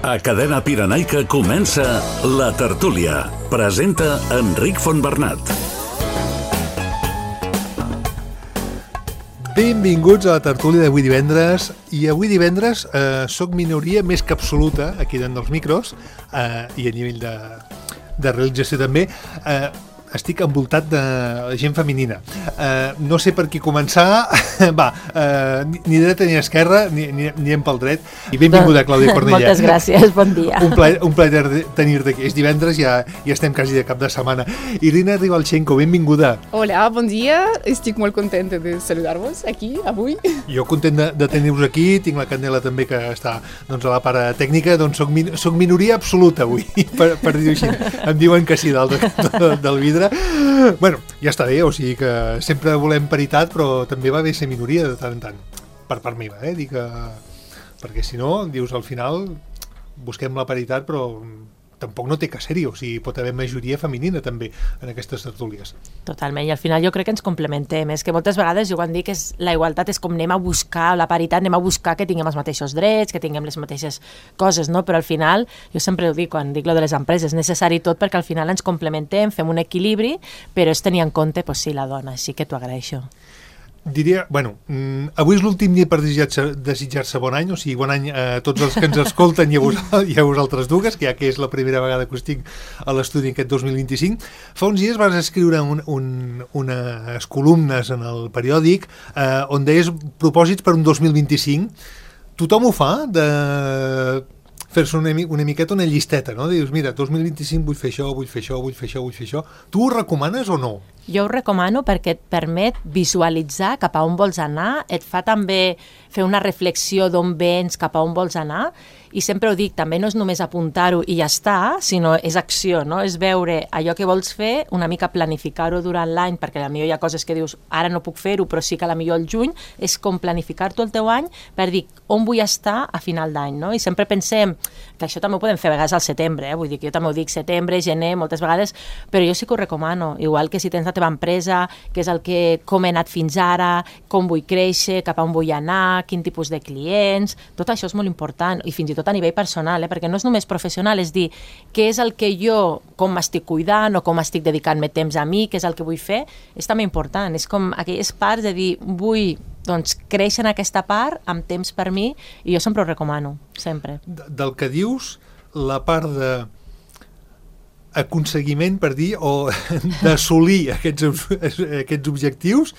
A Cadena Pirenaica comença La Tertúlia. Presenta Enric Fontbernat. Benvinguts a la tertúlia d'avui divendres. I avui divendres soc minoria més que absoluta aquí dins dels micros i a nivell de realització també. Estic envoltat de gent femenina. No sé per qui començar. Ni dreta ni esquerra, ni pel dret. I benvinguda, Clàudia Cornellà. Moltes gràcies, bon dia. Un plaer tenir-te aquí. És divendres, ja estem quasi de cap de setmana. Irina Rivalchenko, benvinguda. Hola, bon dia. Estic molt contenta de saludar-vos aquí, avui. Jo content de tenir-vos aquí. Tinc la Candela també, que està a la part tècnica. Doncs soc minoria absoluta avui, per dir-ho així. Em diuen que sí, dalt del vidre. Bueno, ja està bé, o sigui que sempre volem paritat, però també va bé ser minoria de tant en tant, per part meva, dic que... perquè si no, dius, al final busquem la paritat, però tampoc no té que ser-hi, o sigui, pot haver majoria femenina també en aquestes tertúlies. Totalment, i al final jo crec que ens complementem. És que moltes vegades jo quan dic que la igualtat és com anem a buscar la paritat, anem a buscar que tinguem els mateixos drets, que tinguem les mateixes coses, no? Però al final, jo sempre ho dic quan dic lo de les empreses, és necessari tot perquè al final ens complementem, fem un equilibri, però és tenir en compte, pues sí, la dona, així que t'ho agraeixo. Diria, avui és l'últim dia per desitjar-se bon any, o sigui, bon any a tots els que ens escolten i a vosaltres dues, que ja que és la primera vegada que us tinc a l'estudi aquest 2025. Fa uns dies vas escriure unes columnes en el periòdic on deies propòsits per un 2025. Tothom ho fa, de fer-se una miqueta una llisteta, no? Dius, mira, 2025 vull fer això, vull fer això, vull fer això, vull fer això. Tu ho recomanes o no? Jo ho recomano perquè et permet visualitzar cap a on vols anar, et fa també fer una reflexió d'on vens, cap a on vols anar, i sempre ho dic, també no és només apuntar-ho i ja està, sinó és acció, no? És veure allò que vols fer, una mica planificar-ho durant l'any, perquè potser hi ha coses que dius, ara no puc fer-ho, però sí que potser al juny, és com planificar-t'ho el teu any per dir on vull estar a final d'any, no? I sempre pensem que això també ho podem fer a vegades al setembre, vull dir que jo també ho dic setembre, gener, moltes vegades, però jo sí que ho recomano, igual que si tens la teva empresa, què és el que, com he anat fins ara, com vull créixer, cap a on vull anar, quin tipus de clients, tot això és molt important, i fins i tot a nivell personal, perquè no és només professional, és dir, què és el que jo, com m'estic cuidant o com estic dedicant-me temps a mi, què és el que vull fer, és també important, és com aquelles parts de dir, vull créixer en aquesta part amb temps per mi, i jo sempre ho recomano, sempre. Del que dius, la part de aconseguiment, per dir, o d'assolir aquests objectius,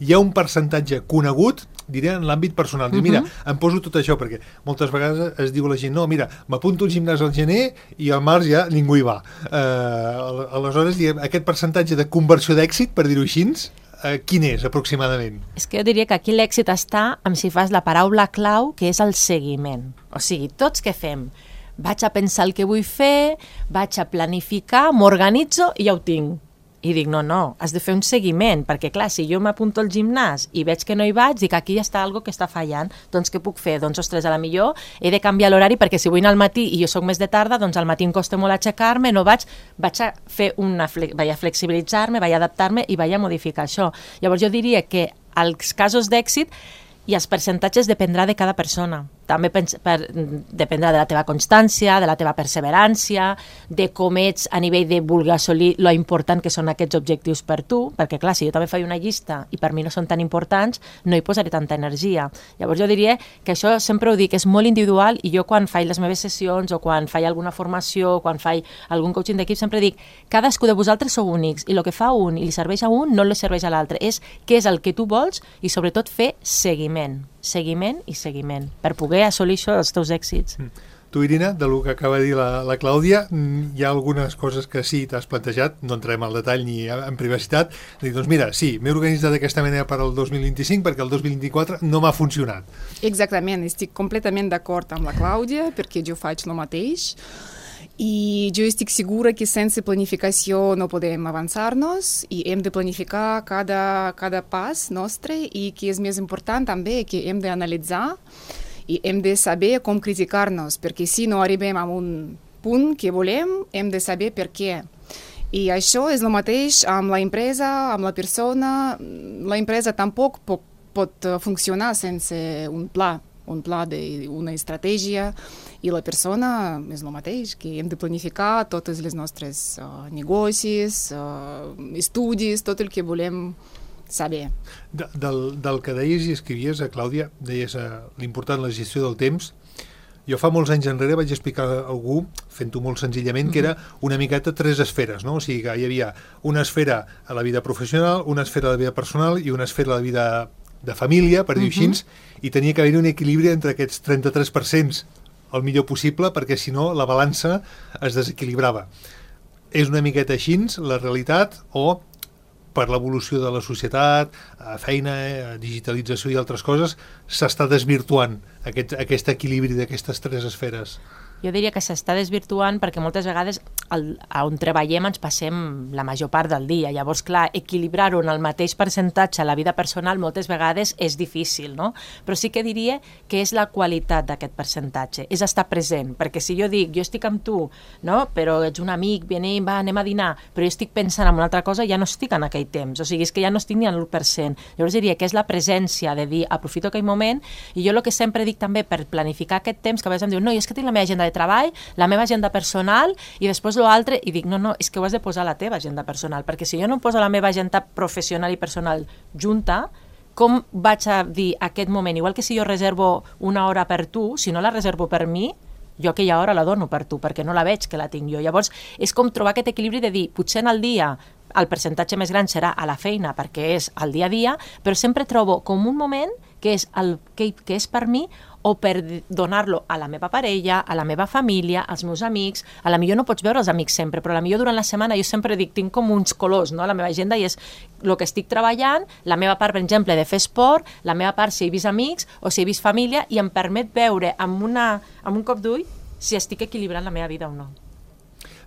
hi ha un percentatge conegut, diré, en l'àmbit personal. Mira, em poso tot això, perquè moltes vegades es diu a la gent, no, mira, m'apunto al gimnàs al gener i al març ja ningú hi va. Aleshores, aquest percentatge de conversió d'èxit, per dir-ho així, quin és, aproximadament? És que jo diria que aquí l'èxit està en si fas la paraula clau, que és el seguiment. O sigui, tots què fem? Vaig a pensar el que vull fer, vaig a planificar, m'organitzo i ja ho tinc. I dic, no, has de fer un seguiment, perquè clar, si jo m'apunto al gimnàs i veig que no hi vaig, dic, aquí ja està algo que està fallant, doncs què puc fer? Doncs, ostres, a la millor he de canviar l'horari, perquè si vull anar al matí i jo soc més de tarda, doncs al matí em costa molt aixecar-me, no vaig a fer vaig a flexibilitzar-me, vaig a adaptar-me i vaig a modificar això. Llavors jo diria que als casos d'èxit i els percentatges dependrà de cada persona. També dependrà de la teva constància, de la teva perseverància, de com ets a nivell de voler assolir lo important que són aquests objectius per tu, perquè clar, si jo també faig una llista i per mi no són tan importants, no hi posaré tanta energia. Llavors jo diria que això sempre ho dic, és molt individual, i jo quan faig les meves sessions o quan faig alguna formació, quan faig algun coaching d'equip, sempre dic, cadascú de vosaltres sou únics i el que fa un i li serveix a un no li serveix a l'altre. És què és el que tu vols i sobretot fer seguiment i seguiment, per poder assolir això dels teus èxits. Tu, Irina, del que acaba de dir la Clàudia, hi ha algunes coses que sí t'has plantejat, no entrem al detall ni en privacitat, doncs mira, sí, m'he organitzat d'aquesta manera per al 2025 perquè el 2024 no m'ha funcionat. Exactament, estic completament d'acord amb la Clàudia, perquè jo faig el mateix, i jo estic segura que sense planificació no podem avançar-nos i hem de planificar cada pas nostre, i que és més important també que hem d'analitzar i hem de saber com criticar-nos, perquè si no arribem a un punt que volem, hem de saber per què. I això és el mateix amb la empresa, amb la persona. La empresa tampoc pot funcionar sense un pla. un pla, una estratègia, i la persona és el mateix, que hem de planificar totes les nostres negocis, estudis, tot el que volem saber. Del que deies i escrivies, Clàudia, deies l'important la gestió del temps. Jo fa molts anys enrere vaig explicar a algú, fent-ho molt senzillament, que era una miqueta 3 esferes, no? O sigui que hi havia una esfera a la vida professional, una esfera a la vida personal i una esfera a la vida de família, per dir-ho així, i tenia que haver un equilibri entre aquests 33% el millor possible, perquè si no la balança es desequilibrava. És una miqueta així la realitat, o per l'evolució de la societat, feina, digitalització i altres coses, s'està desvirtuant aquest equilibri d'aquestes 3 esferes? Jo diria que s'està desvirtuant perquè moltes vegades on treballem ens passem la major part del dia. Llavors, clar, equilibrar-ho en el mateix percentatge a la vida personal moltes vegades és difícil, no? Però sí que diria que és la qualitat d'aquest percentatge, és estar present, perquè si jo dic, jo estic amb tu, no? Però ets un amic, anem a dinar, però jo estic pensant en una altra cosa, ja no estic en aquell temps, o sigui, és que ja no estic ni en l'1%. Llavors diria que és la presència de dir, aprofito aquell moment, i jo el que sempre dic també per planificar aquest temps, que a vegades em diu, no, és que tinc la meva agenda de treball, la meva agenda personal i després l'altre, i dic, no, és que ho has de posar a la teva agenda personal, perquè si jo no poso la meva agenda professional i personal junta, com vaig a dir aquest moment, igual que si jo reservo una hora per tu, si no la reservo per mi, jo aquella hora la dono per tu, perquè no la veig que la tinc jo. Llavors, és com trobar aquest equilibri de dir, potser en el dia el percentatge més gran serà a la feina, perquè és el dia a dia, però sempre trobo com un moment que és per mi, o per donar-lo a la meva parella, a la meva família, als meus amics. A la millor no pots veure els amics sempre, però a la millor durant la setmana jo sempre dic, tinc com uns colors, no?, a la meva agenda, i és el que estic treballant, la meva part, per exemple, de fer esport, la meva part si he vist amics o si he vist família, i em permet veure amb un cop d'ull si estic equilibrant la meva vida o no.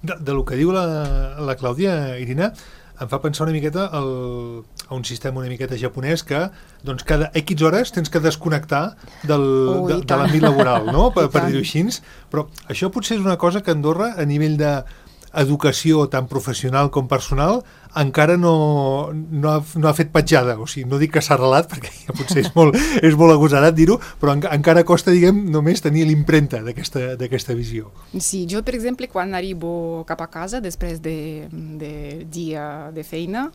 De lo que diu la Clàudia, Irina, em fa pensar una miqueta a un sistema una miqueta japonès que doncs cada X hores tens que desconnectar de l'àmbit laboral, no? per dir-ho així. Però això potser és una cosa que Andorra, a nivell d'educació tant professional com personal, encara no ha fet petjada. O sigui, no dic que s'ha arrelat, perquè ja potser és molt agosarat dir-ho, però encara costa, diguem, només tenir l'impremta d'aquesta visió. Sí, jo, per exemple, quan arribo cap a casa després de dia de feina,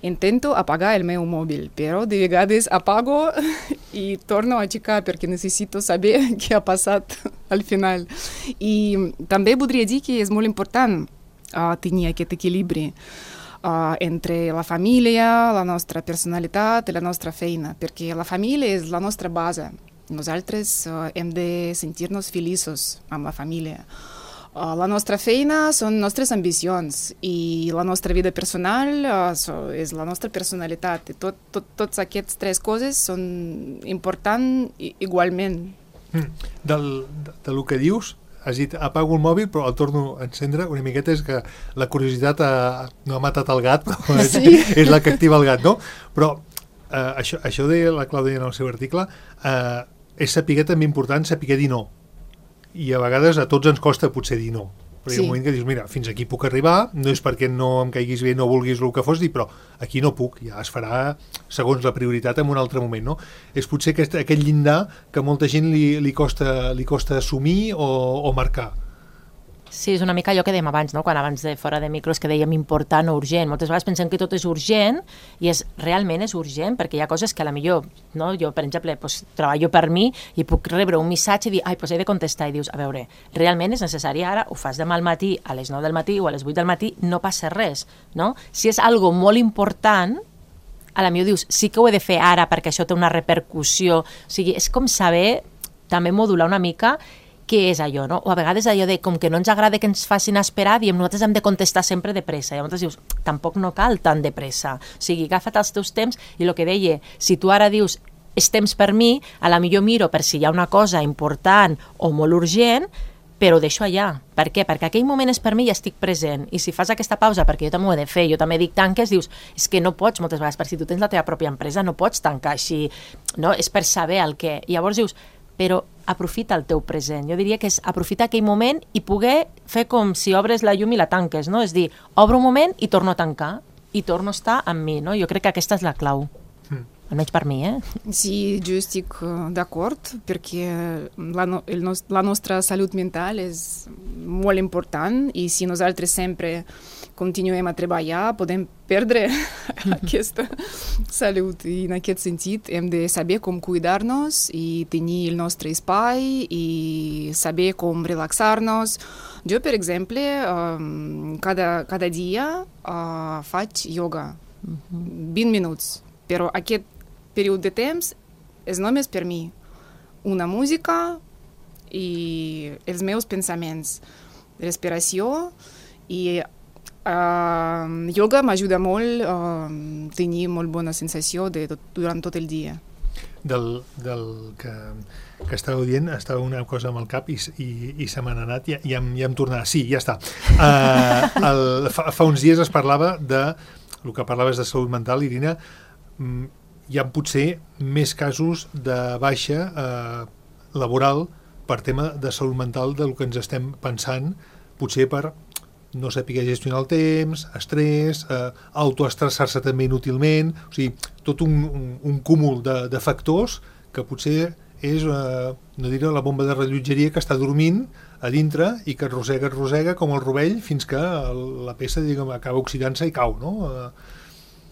intento apagar el meu mòbil, però de vegades apago i torno a aixecar perquè necessito saber què ha passat al final. I també voldria dir que és molt important tenir aquest equilibri entre la família, la nostra personalitat i la nostra feina, perquè la família és la nostra base. Nosaltres hem de sentir-nos feliços amb la família. La nostra feina són nostres ambicions i la nostra vida personal és la nostra personalitat. Tots aquests 3 coses són importants igualment. Del que dius, has dit, apago el mòbil, però el torno a encendre una miqueta, és que la curiositat no ha matat el gat, però és la que activa el gat, no? Però això deia la Clàudia en el seu article, és saber també important saber dir no. I a vegades a tots ens costa potser dir no. Però hi ha un moment que dius, mira, fins aquí puc arribar, no és perquè no em caiguis bé, no vulguis el que fos, però aquí no puc, ja es farà segons la prioritat en un altre moment, no? És potser aquest llindar que molta gent li costa assumir o marcar. Sí, és una mica allò que dèiem abans, no? Quan abans de fora de micros que dèiem important o urgent. Moltes vegades pensem que tot és urgent i realment és urgent, perquè hi ha coses que a la millor, no? Jo, per exemple, treballo per mi i puc rebre un missatge i dir, he de contestar, i dius, a veure, realment és necessari ara, ho fas demà al matí, a les 9 del matí o a les 8 del matí, no passa res, no? Si és algo molt important, a la millor dius, sí que ho he de fer ara perquè això té una repercussió. O sigui, és com saber també modular una mica què és allò, no? O a vegades allò de com que no ens agrada que ens facin esperar, diem, nosaltres hem de contestar sempre de pressa. I llavors dius, tampoc no cal tan de pressa. O sigui, agafa't els teus temps i el que deia, si tu ara dius, és temps per mi, a la millor miro per si hi ha una cosa important o molt urgent, però ho deixo allà. Per què? Perquè aquell moment és per mi i estic present. I si fas aquesta pausa, perquè jo també ho he de fer, jo també dic tanques, dius, és que no pots moltes vegades, perquè si tu tens la teva pròpia empresa no pots tancar així, no? És per saber el què. I llavors dius, però aprofita el teu present. Jo diria que és aprofitar aquell moment i poder fer com si obres la llum i la tanques, no? És dir, obro un moment i torno a tancar, i torno a estar amb mi, no? Jo crec que aquesta és la clau. almenys per mi, Sí, jo estic d'acord, perquè la nostra salut mental és molt important i si nosaltres sempre continuem a treballar podem perdre aquesta salut i en aquest sentit hem de saber com cuidar-nos i tenir el nostre espai i saber com relaxar-nos. Jo, per exemple, cada dia faig yoga, 20 minuts, però aquest període de temps és només per mi. Una música i els meus pensaments, respiració i yoga m'ajuda molt a tenir molt bona sensació durant tot el dia. Del que estàveu dient, estava una cosa amb el cap i se m'ha anat, ja em tornarà. Sí, ja està. Fa uns dies es parlava el que parlaves de salut mental, Irina, hi ha potser més casos de baixa laboral per tema de salut mental del que ens estem pensant, potser per no saber gestionar el temps, estrès, autoestressar-se també inútilment, o sigui, tot un cúmul de factors que potser és, no diré, la bomba de rellotgeria que està dormint a dintre i que rosega com el rovell fins que la peça, diguem, acaba oxidant-se i cau, no?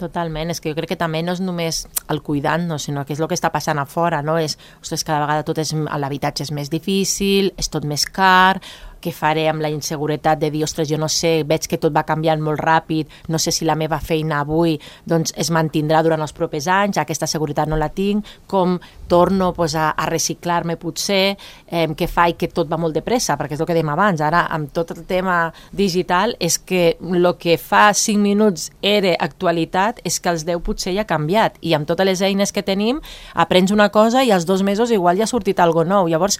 Totalment, és que jo crec que també no és només el cuidant-nos, sinó que és el que està passant a fora, no? Ostres, cada vegada l'habitatge és més difícil, és tot més car, què faré amb la inseguretat de dir, ostres, jo no sé, veig que tot va canviant molt ràpid, no sé si la meva feina avui doncs, es mantindrà durant els propers anys, aquesta seguretat no la tinc, com torno a reciclar-me potser, què faig que tot va molt de pressa, perquè és el que dèiem abans, ara amb tot el tema digital és que el que fa 5 minuts era actualitat és que els 10 potser ja ha canviat i amb totes les eines que tenim aprens una cosa i als 2 mesos igual ja ha sortit alguna cosa nou, llavors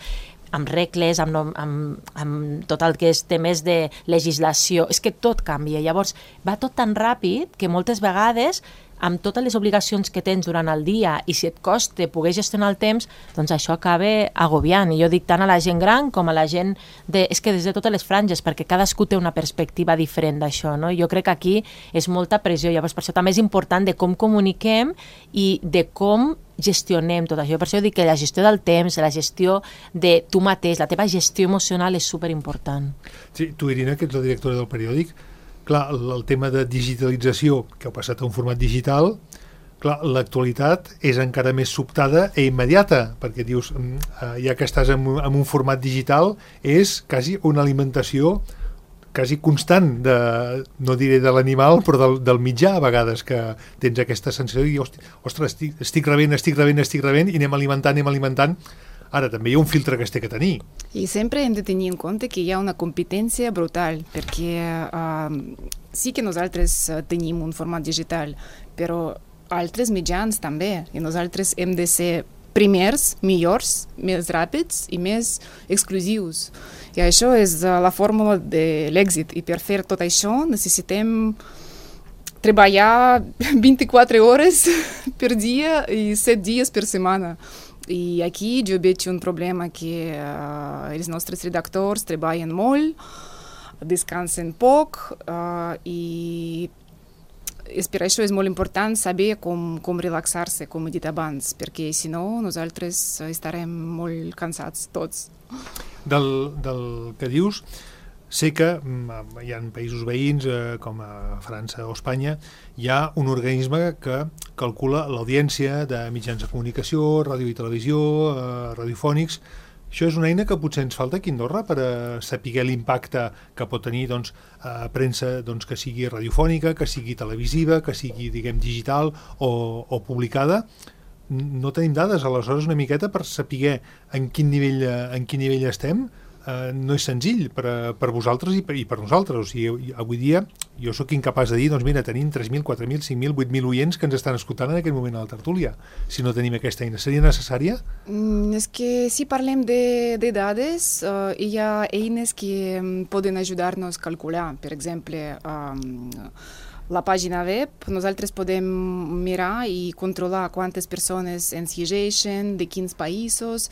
amb regles, amb tot el que és temes de legislació, és que tot canvia, llavors va tot tan ràpid que moltes vegades amb totes les obligacions que tens durant el dia i si et costa poder gestionar el temps, doncs això acaba agobiant. I jo dic tant a la gent gran com a la gent és que des de totes les franges, perquè cadascú té una perspectiva diferent d'això, no? Jo crec que aquí és molta pressió, llavors per això també és important de com comuniquem i de com gestionem tot això. Per això dic que la gestió del temps, la gestió de tu mateix, la teva gestió emocional és superimportant. Sí, tu, Irina, que ets la directora del periòdic, clar, el tema de digitalització, que heu passat a un format digital, clar, l'actualitat és encara més sobtada i immediata, perquè dius, ja que estàs en un format digital, és quasi una alimentació quasi constant, no diré de l'animal, però del mitjà, a vegades, que tens aquesta sensació de dir, ostres, estic rebent, i anem alimentant. Ara, també hi ha un filtre que es té que tenir. I sempre hem de tenir en compte que hi ha una competència brutal, perquè sí que nosaltres tenim un format digital, però altres mitjans també, i nosaltres hem de ser primers, millors, més ràpids i més exclusius. I això és la fórmula de l'èxit, i per fer tot això necessitem treballar 24 hores per dia i 7 dies per setmana. I aquí jo veig un problema que els nostres redactors treballen molt, descansen poc i per això és molt important saber com relaxar-se, com he dit abans, perquè si no nosaltres estarem molt cansats tots. Del que dius, sé que hi ha països veïns com a França o Espanya, hi ha un organisme que calcula l'audiència de mitjans de comunicació, ràdio i televisió, radiofònics. Això és una eina que potser ens falta aquí a Andorra per saber l'impacte que pot tenir premsa que sigui radiofònica, que sigui televisiva, que sigui, diguem, digital o publicada. No tenim dades, aleshores, una miqueta per saber en quin nivell estem. No és senzill per vosaltres i per nosaltres. O sigui, avui dia jo sóc incapaç de dir, doncs mira, tenim 3.000, 4.000, 5.000, 8.000 oients que ens estan escoltant en aquest moment a la tertúlia. Si no tenim aquesta eina, seria necessària? És que si parlem de dades, hi ha eines que poden ajudar-nos a calcular. Per exemple, la pàgina web, nosaltres podem mirar i controlar quantes persones ens llegeixen, de quins països.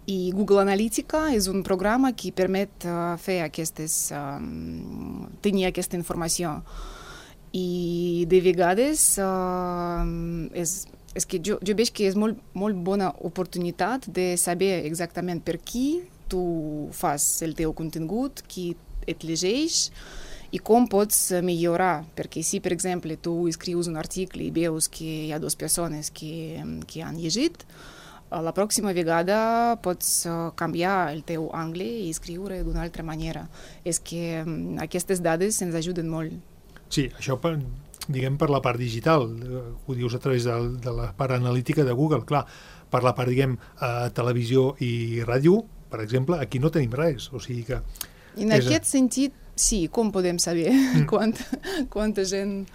I Google Analytica és un programa que permet fer tenir aquesta informació. I de vegades és que jo veig que és molt bona oportunitat de saber exactament per qui tu fas el teu contingut, qui et llegeix i com pots millorar, perquè si, per exemple, tu escrius un article i veus que hi ha dues persones que han llegit, la pròxima vegada pots canviar el teu angle i escriure d'una altra manera. És que aquestes dades ens ajuden molt. Sí, això diguem per la part digital, ho dius a través de la part analítica de Google, clar, per la part, diguem, televisió i ràdio, per exemple, aquí no tenim res, o sigui que... En aquest sentit, sí, com podem saber quanta gent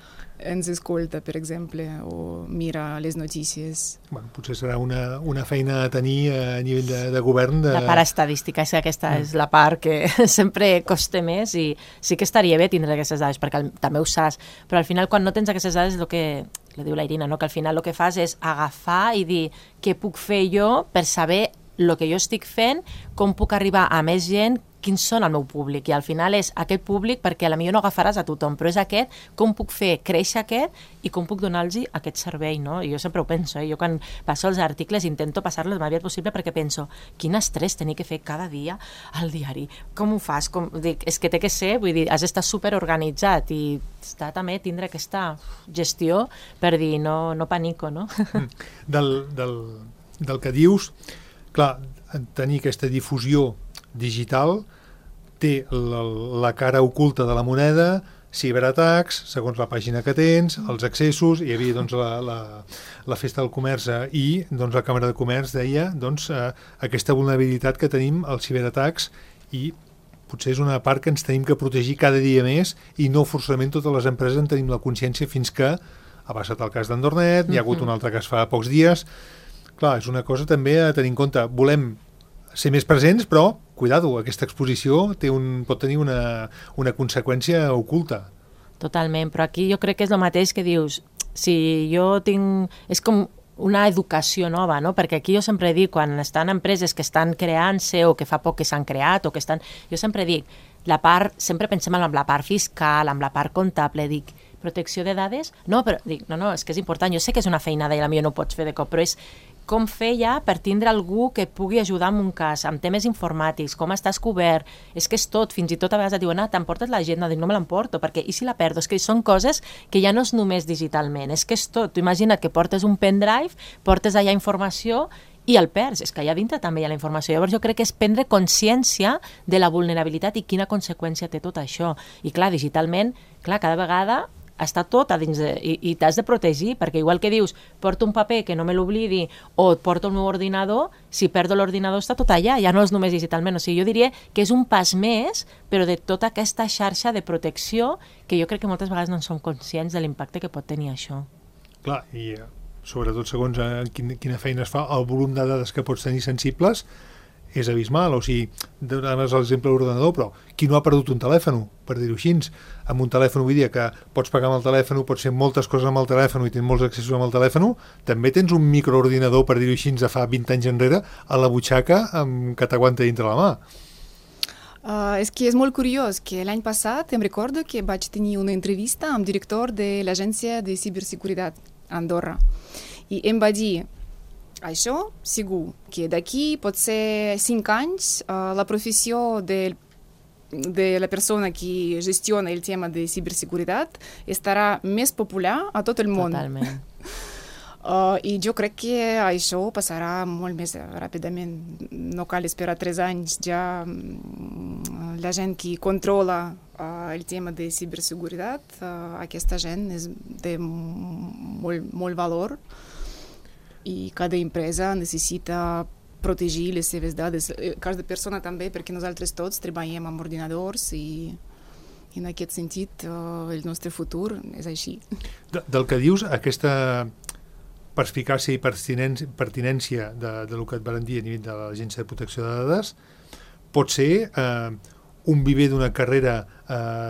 ens escolta, per exemple, o mira les notícies? Bueno, potser serà una feina a tenir a nivell de govern. La part estadística, és que aquesta és la part que sempre costa més i sí que estaria bé tindre aquestes dades, perquè també ho saps, però al final quan no tens aquestes dades és el que li diu la Irina, no? Que al final el que fas és agafar i dir què puc fer jo per saber el que jo estic fent, com puc arribar a més gent, quins són el meu públic, i al final és aquest públic, perquè potser no agafaràs a tothom, però és aquest, com puc fer créixer aquest i com puc donar-los aquest servei, no? I jo sempre ho penso, jo quan passo els articles intento passar-los el més aviat possible perquè penso, quin estrès tenir que fer cada dia al diari, com ho fas? Dic, és que té que ser, vull dir, has d'estar superorganitzat i està també tindre aquesta gestió per dir, no panico, no? Del que dius, clar, tenir aquesta difusió digital té la cara oculta de la moneda, ciberatacs, segons la pàgina que tens, els accessos, hi havia doncs, la Festa del Comerç i doncs, la Càmera de Comerç deia doncs, aquesta vulnerabilitat que tenim als ciberatacs i potser és una part que ens tenim que protegir cada dia més i no forçament totes les empreses en tenim la consciència fins que ha passat el cas d'Andornet, hi ha hagut un altre cas fa pocs dies. Clar, és una cosa també a tenir en compte. Volem ser més presents, però, cuidado, aquesta exposició pot tenir una conseqüència oculta. Totalment, però aquí jo crec que és el mateix que dius, si jo tinc... És com una educació nova, no? Perquè aquí jo sempre dic, quan estan empreses que estan creant-se o que fa poc que s'han creat o que estan... Jo sempre dic, sempre pensem en la part fiscal, en la part comptable, dic, protecció de dades? No, però dic, no, és que és important, jo sé que és una feinada i potser no ho pots fer de cop, però és com fer ja per tindre algú que et pugui ajudar en un cas, amb temes informàtics, com estàs cobert, és que és tot, fins i tot a vegades et diuen, t'emportes l'agenda, dic, no me l'emporto, perquè i si la perdo? És que són coses que ja no és només digitalment, és que és tot, tu imagina't que portes un pendrive, portes allà informació i el perds, és que allà dintre també hi ha la informació. Llavors jo crec que és prendre consciència de la vulnerabilitat i quina conseqüència té tot això. I clar, digitalment, cada vegada està tot a dins i t'has de protegir, perquè igual que dius, porto un paper que no me l'oblidi o porto el meu ordinador, si perdo l'ordinador està tot allà, ja no és només digitalment. O sigui, jo diria que és un pas més, però de tota aquesta xarxa de protecció que jo crec que moltes vegades no en som conscients de l'impacte que pot tenir això. Clar, i sobretot segons quina feina es fa, el volum de dades que pots tenir sensibles és abismal, o sigui, donaves l'exemple de l'ordenador, però qui no ha perdut un telèfon, per dir-ho així, amb un telèfon avui dia que pots pagar amb el telèfon, pots fer moltes coses amb el telèfon i tens molts accessos amb el telèfon, també tens un microordinador, per dir-ho així, de fa 20 anys enrere, a la butxaca que t'aguanta dintre la mà. És que és molt curiós que l'any passat em recordo que vaig tenir una entrevista amb el director de l'Agència de Ciberseguretat a Andorra i em va dir això, segur, que d'aquí pot ser 5 anys la professió de la persona que gestiona el tema de ciberseguretat estarà més popular a tot el món. Totalment. I jo crec que això passarà molt més ràpidament. No cal esperar 3 anys, ja la gent que controla el tema de ciberseguretat, aquesta gent és de molt valor i cada empresa necessita protegir les seves dades. Cada persona també, perquè nosaltres tots treballem amb ordinadors i en aquest sentit el nostre futur és així. Del que dius, aquesta perspicàcia i pertinència del que et van dir a nivell de l'Agència de Protecció de Dades pot ser un viver d'una carrera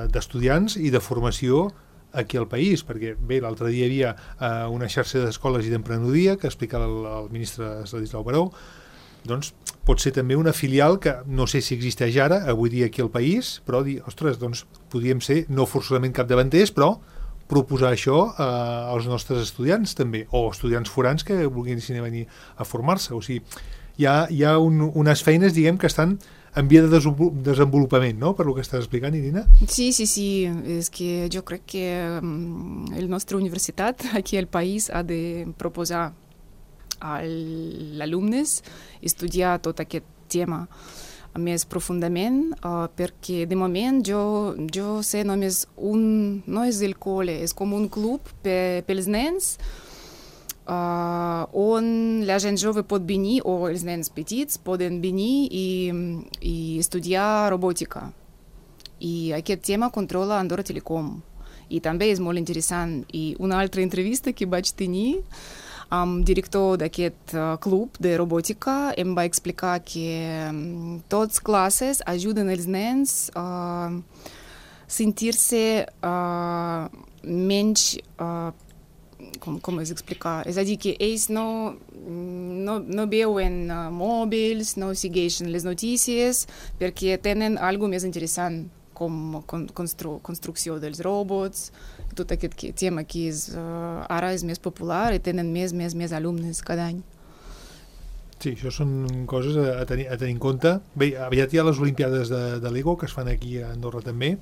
d'estudiants i de formació aquí al país, perquè bé, l'altre dia hi havia una xarxa d'escoles i d'emprenedoria que explicava el ministre Ladislau Baró, doncs pot ser també una filial que no sé si existeix ara, avui dia aquí al país, però dir, ostres, doncs podríem ser no forçosament capdavanters, però proposar això als nostres estudiants també, o estudiants forans que vulguin venir a formar-se. O sigui, hi ha unes feines, diguem, que estan en via de desenvolupament, ¿no? Per lo que estàs explicant, Irina. Sí. Es que yo creo que el nuestra universidad aquí el país ha de proposar als alumnes estudiar tot aquest tema més profundament, perquè de moment jo sé només no és el col·le, és com un club pels nens on la gent jove pot venir, o els nens petits poden venir i estudiar robòtica. I aquest tema controla Andorra Telecom. I també és molt interessant. I una altra entrevista que vaig tenir amb director d'aquest club de robòtica em va explicar que tots classes ajuden els nens a sentir-se menys com es explicar? És a dir, que ells no veuen mòbils, no segueixen les notícies perquè tenen alguna més interessant com construcció dels robots, tot aquest tema que ara és més popular i tenen més alumnes cada any. Sí, això són coses a tenir en compte. Bé, aviat hi ha les Olimpiades de Lego que es fan aquí a Andorra també.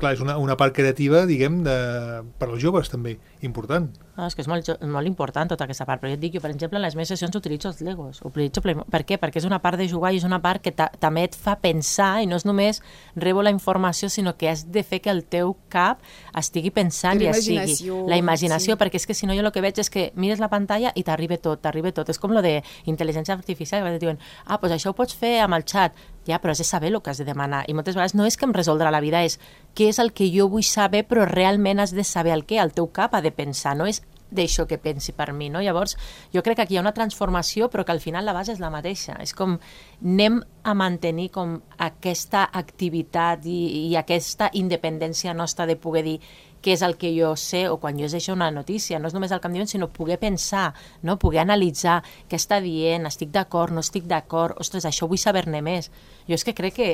Clar, és una part creativa, diguem, per als joves també, important. És que és molt important tota aquesta part, però jo et dic, per exemple, en les meves sessions utilitzo els Legos. Per què? Perquè és una part de jugar i és una part que també et fa pensar, i no és només rebo la informació, sinó que has de fer que el teu cap estigui pensant i estigui. La imaginació, perquè és que si no jo el que veig és que mires la pantalla i t'arriba tot. És com lo de intel·ligència artificial, que diuen, doncs això ho pots fer amb el xat. Ja, però has de saber el que has de demanar. I moltes vegades no és que em resoldrà la vida, és què és el que jo vull saber, però realment has de saber el què. El teu cap ha de pensar, no és d'això que pensi per mi, no? Llavors, jo crec que aquí hi ha una transformació, però que al final la base és la mateixa. És com anem a mantenir com aquesta activitat i aquesta independència nostra de poder dir què és el que jo sé, o quan jo llegeixo una notícia, no és només el que em diuen, sinó poder pensar, no? Poder analitzar què està dient, estic d'acord, no estic d'acord, ostres, això vull saber-ne més. Jo és que crec que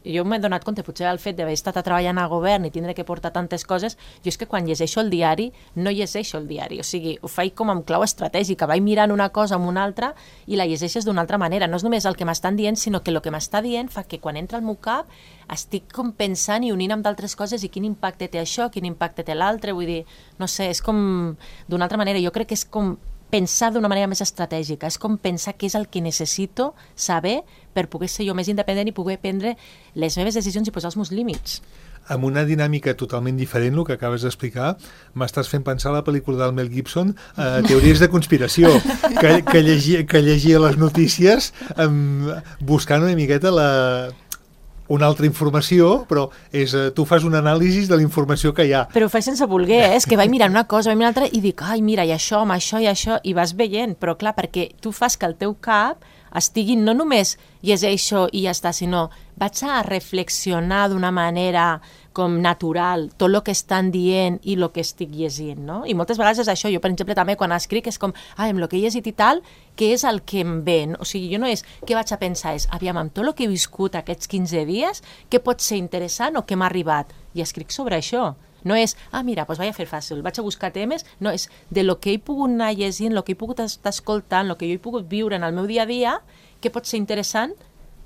jo m'he donat compte, potser el fet d'haver estat treballant a govern i tindre que portar tantes coses, jo és que quan llegeixo el diari, no llegeixo el diari, o sigui, ho faig com amb clau estratègica, vaig mirant una cosa amb una altra i la llegeixes d'una altra manera, no és només el que m'estan dient, sinó que el que m'està dient fa que quan entra al meu cap estic com pensant i unint amb d'altres coses i quin impacte té això, quin impacte té l'altre, vull dir, no sé, és com d'una altra manera, jo crec que és com pensar d'una manera més estratègica, és com pensar què és el que necessito saber per poder ser jo més independent i poder prendre les meves decisions i posar els meus límits. Amb una dinàmica totalment diferent, el que acabes d'explicar, m'estàs fent pensar la pel·lícula del Mel Gibson, teories de conspiració, que llegia les notícies buscant una miqueta una altra informació, però tu fas un anàlisi de la informació que hi ha. Però ho faig sense voler, és que vaig mirant una cosa, vaig mirant l'altra i dic, ai, mira, i això, i vas veient, però clar, perquè tu fas que el teu cap estigui no només llegeixo i ja està, sinó vaig a reflexionar d'una manera com natural tot el que estan dient i el que estic llegint, no? I moltes vegades és això, jo per exemple també quan escric és com, amb el que he llegit i tal, què és el que em ve? O sigui, jo no és què vaig a pensar, és, aviam, amb tot el que he viscut aquests 15 dies, què pot ser interessant o què m'ha arribat? I escric sobre això. No és, mira, doncs vaig a fer fàcil, vaig a buscar temes, no, és de lo que he pogut anar llegint, el que he pogut estar escoltant, el que jo he pogut viure en el meu dia a dia, què pot ser interessant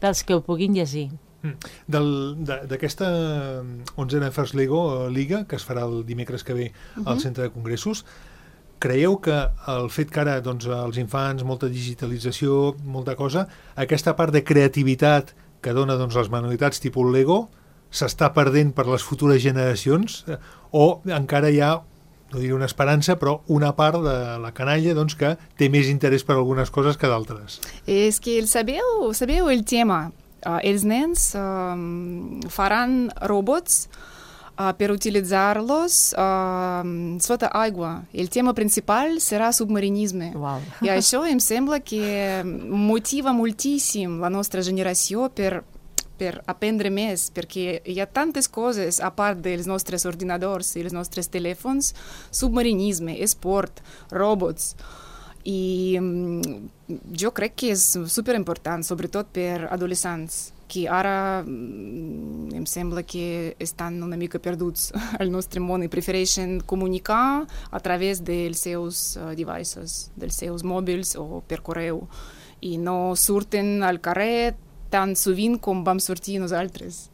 pels que ho puguin llegir. D'aquesta 11a First Lego Liga, que es farà el dimecres que ve al Centre de Congressos, creieu que el fet que ara els infants, molta digitalització, molta cosa, aquesta part de creativitat que dona les manualitats tipus Lego s'està perdent per les futures generacions o encara hi ha, no diré una esperança, però una part de la canalla que té més interès per algunes coses que d'altres? És que sabeu el tema. Els nens faran robots per utilitzar-los sota aigua. El tema principal serà submarinisme. Wow. I això em sembla que motiva moltíssim la nostra generació per aprendre més, perquè hi ha tantes coses a part dels nostres ordinadors i els nostres telèfons, submarinisme, esport, robots, i jo crec que és superimportant, sobretot per adolescents, que ara em sembla que estan una mica perduts al nostre món i prefereixen comunicar a través dels seus devices, dels seus mòbils o per correu, i no surten al carrer tan sovint com vam sortir nosaltres.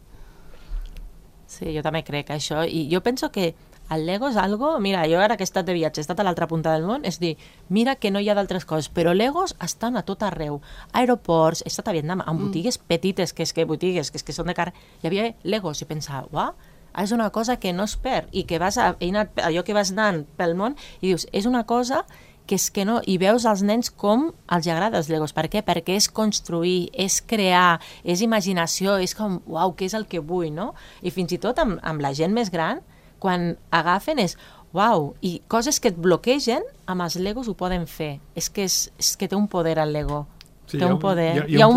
Sí, jo també crec això, i jo penso que el Lego és algo... Mira, jo ara que he estat de viatge, he estat a l'altra punta del món, és dir, mira que no hi ha d'altres coses, però Legos estan a tot arreu. Aeroports, he estat a Vietnam, en botigues petites, que és que són de carrer, hi havia Legos, i pensava, uah, és una cosa que no es perd, i que allò que vas anant pel món, i dius, és una cosa que és que no, i veus als nens com els agrada els Legos. Per què? Perquè és construir, és crear, és imaginació, és com, uau, què és el que vull, no? I fins i tot amb la gent més gran, quan agafen és, uau, i coses que et bloquegen, amb els Legos ho poden fer. És que té un poder el Lego. Sí, té un poder. Hi ha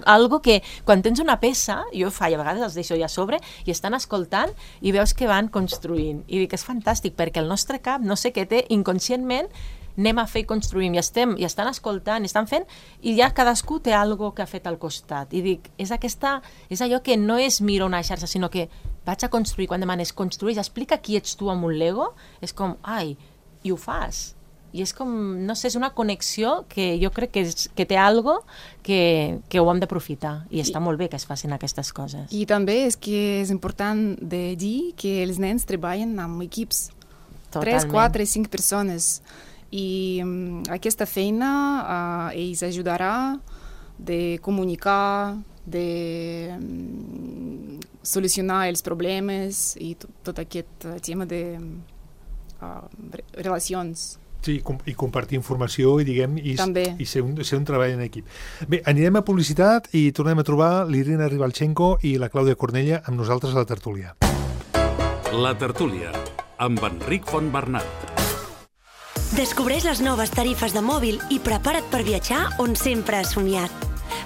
algo que, quan tens una peça, jo a vegades els deixo allà a sobre, i estan escoltant i veus que van construint. I dic, és fantàstic, perquè el nostre cap, no sé què té, inconscientment, anem a fer i construïm, i estan escoltant, estan fent, i ja cadascú té algo que ha fet al costat. I dic, és allò que no és miro una xarxa, sinó que vaig a construir. Quan demanes construir, explica qui ets tu amb un Lego, és com, ai, i ho fas. I és com, no sé, és una connexió que jo crec que té algo que ho hem d'aprofitar, i està molt bé que es facin aquestes coses. I també és que és important de dir que els nens treballen amb equips. Totalment. 3, 4, 5 persones. I aquesta feina ells ajudarà de comunicar, de solucionar els problemes i tot aquest tema de relacions. Sí, i compartir informació i ser un treball en equip. Bé, anirem a publicitat i tornem a trobar l'Irina Ribalchenko i la Clàudia Cornella amb nosaltres a la tertúlia. La tertúlia, amb Enric Fontbernat. Descobreix les noves tarifes de mòbil i prepara't per viatjar on sempre has somiat.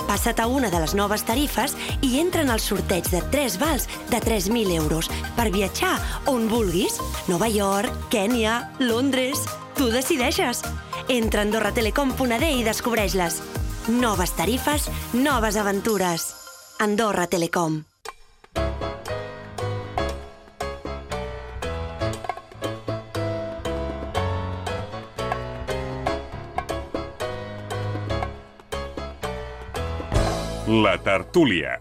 Passa't a una de les noves tarifes i entra en el sorteig de 3 vals de 3.000 euros per viatjar on vulguis. Nova York, Kènia, Londres... Tu decideixes. Entra a AndorraTelecom.d i descobreix-les. Noves tarifes, noves aventures. Andorra Telecom. La tertúlia.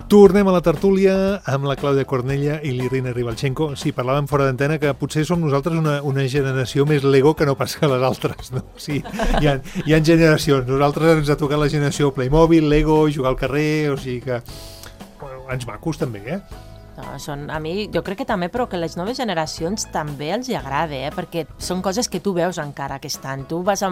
Tornem a la tertúlia amb la Clàudia Cornella i l'Irina Ribalchenko. Sí, parlàvem fora d'antena que potser som nosaltres una generació més Lego que no pas que les altres, no? Sí, hi ha generacions. Nosaltres ens ha tocat la generació Playmobil, Lego, jugar al carrer, o sigui que... Bueno, ens macos també, No, a mi, jo crec que també, però que les noves generacions també els hi agrada, perquè són coses que tu veus encara que estan. Tu vas a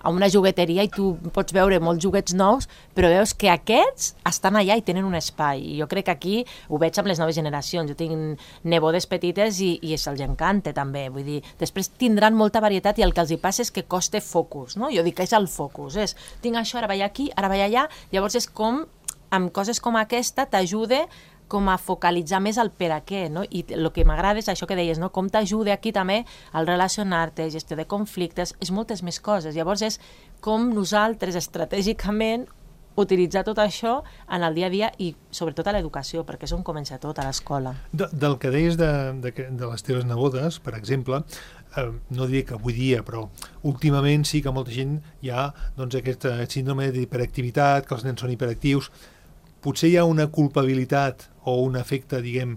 una jugueteria i tu pots veure molts joguets nous, però veus que aquests estan allà i tenen un espai. I jo crec que aquí ho veig amb les noves generacions. Jo tinc nebodes petites i se'ls encanta també. Vull dir, després tindran molta varietat i el que els hi passa és que costa focus, no? Jo dic que és el focus, tinc això, ara vaig aquí, ara vaig allà. Llavors és com, amb coses com aquesta, t'ajuda com a focalitzar més el per a què, no? I el que m'agrada és això que deies, no? Com t'ajuda aquí també al relacionar-te, gestió de conflictes, és moltes més coses. Llavors és com nosaltres estratègicament utilitzar tot això en el dia a dia i sobretot a l'educació, perquè és on comença tot, a l'escola. Del que deies de les teves nebodes, per exemple, no diria que avui dia, però últimament sí que molta gent hi ha aquest síndrome d'hiperactivitat, que els nens són hiperactius. Potser hi ha una culpabilitat o un efecte, diguem,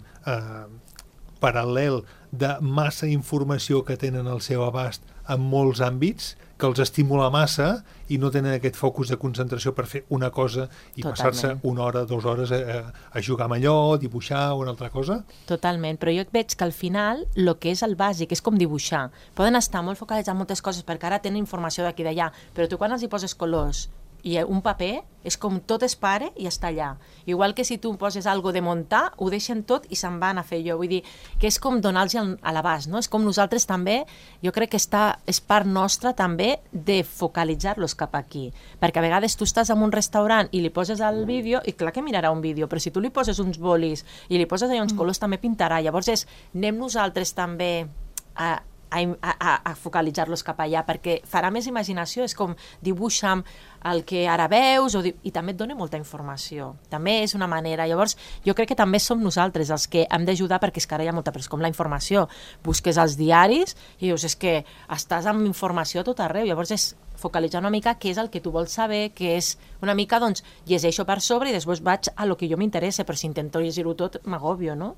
paral·lel de massa informació que tenen al seu abast en molts àmbits, que els estimula massa i no tenen aquest focus de concentració per fer una cosa i passar-se 1 hora, 2 hores a jugar amb allò, dibuixar o una altra cosa? Totalment, però jo veig que al final el que és el bàsic és com dibuixar. Poden estar molt focalitzats en moltes coses perquè ara tenen informació d'aquí i d'allà, però tu quan els hi poses colors i un paper, és com tot es para i està allà. Igual que si tu poses algo de muntar, ho deixen tot i se'n van a fer allò. Vull dir, que és com donar-los a l'abast, no? És com nosaltres també, jo crec que és part nostra també de focalitzar-los cap aquí. Perquè a vegades tu estàs en un restaurant i li poses el vídeo, i clar que mirarà un vídeo, però si tu li poses uns bolis i li poses allà uns colors, també pintarà. Llavors anem nosaltres també a a focalitzar-los cap allà, perquè farà més imaginació, és com dibuixa'm el que ara veus, i també et dona molta informació. També és una manera. Llavors, jo crec que també som nosaltres els que hem d'ajudar, perquè és que ara hi ha molta pressa, com la informació. Busques als diaris i dius, és que estàs amb informació a tot arreu, llavors és focalitzar una mica què és el que tu vols saber, que és una mica, doncs, llegeixo per sobre i després vaig a lo que jo m'interessa, però si intento llegir-ho tot, m'agobio, no?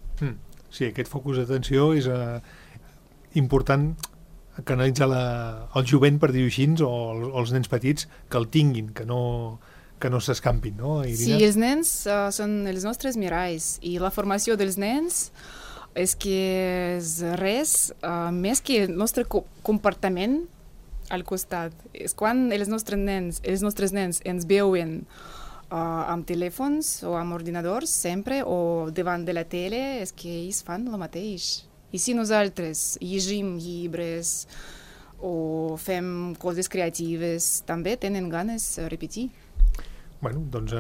Sí, aquest focus d'atenció és important canalitzar el jovent, per dir-ho així, o els nens petits, que el tinguin, que no s'escampin, no, Irina? Sí, els nens són els nostres miralls, i la formació dels nens és que és res més que el nostre comportament al costat. És quan els nostres nens ens veuen amb telèfons o amb ordinadors sempre, o davant de la tele, és que ells fan el mateix. I si nosaltres llegim llibres o fem coses creatives, també tenen ganes de repetir. Bueno, doncs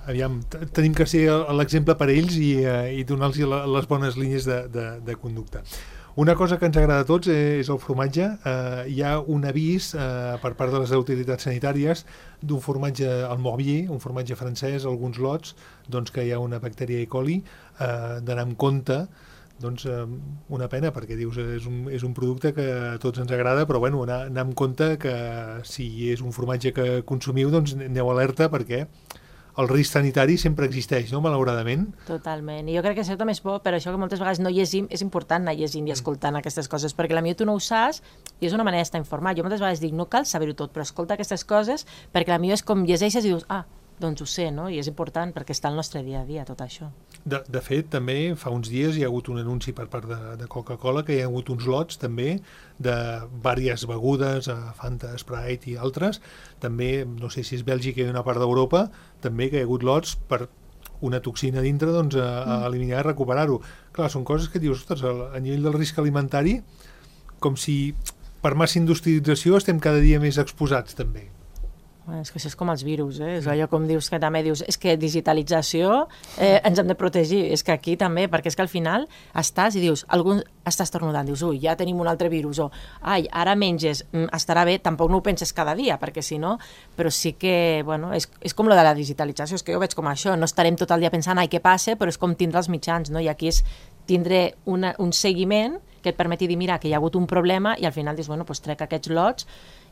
aviam, tenim que ser l'exemple per a ells i donar-los les bones línies de conducta. Una cosa que ens agrada a tots és el formatge. Hi ha un avís per part de les autoritats sanitàries d'un formatge al Morbier, un formatge francès, alguns lots, doncs que hi ha una bactèria E. coli, d'anar amb compte. Doncs una pena, perquè dius, és un producte que a tots ens agrada, però bueno, anar amb compte que si és un formatge que consumiu, doncs aneu alerta, perquè el risc sanitari sempre existeix, no?, malauradament. Totalment. I jo crec que això també és bo, per això que moltes vegades no llegim, és important anar llegint i escoltant aquestes coses, perquè potser tu no ho saps i és una manera d'estar informat. Jo moltes vegades dic, no cal saber-ho tot, però escolta aquestes coses, perquè potser és com llegeixes i dius, doncs ho sé, no? I és important perquè està al nostre dia a dia, tot això. De fet, també fa uns dies hi ha hagut un anunci per part de Coca-Cola que hi ha hagut uns lots també de diverses begudes, Fanta, Sprite i altres. També, no sé si és Bèlgica i una part d'Europa, també que hi ha hagut lots per una toxina dintre, doncs, a eliminar i recuperar-ho. Clar, són coses que dius, ostres, a nivell del risc alimentari, com si per massa industrialització estem cada dia més exposats, també. És que això és com els virus, és allò com dius que també dius, és que digitalització ens hem de protegir, és que aquí també, perquè és que al final estàs i dius, estàs tornudant, dius, ui, ja tenim un altre virus, o ai, ara menges, estarà bé, tampoc no ho penses cada dia, perquè si no, però sí que, bueno, és com lo de la digitalització, és que jo veig com això, no estarem tot el dia pensant, ai, què passa, però és com tindre els mitjans, no? I aquí és tindre un seguiment que et permeti dir, mira, que hi ha hagut un problema i al final dius, bueno, doncs trec aquests lots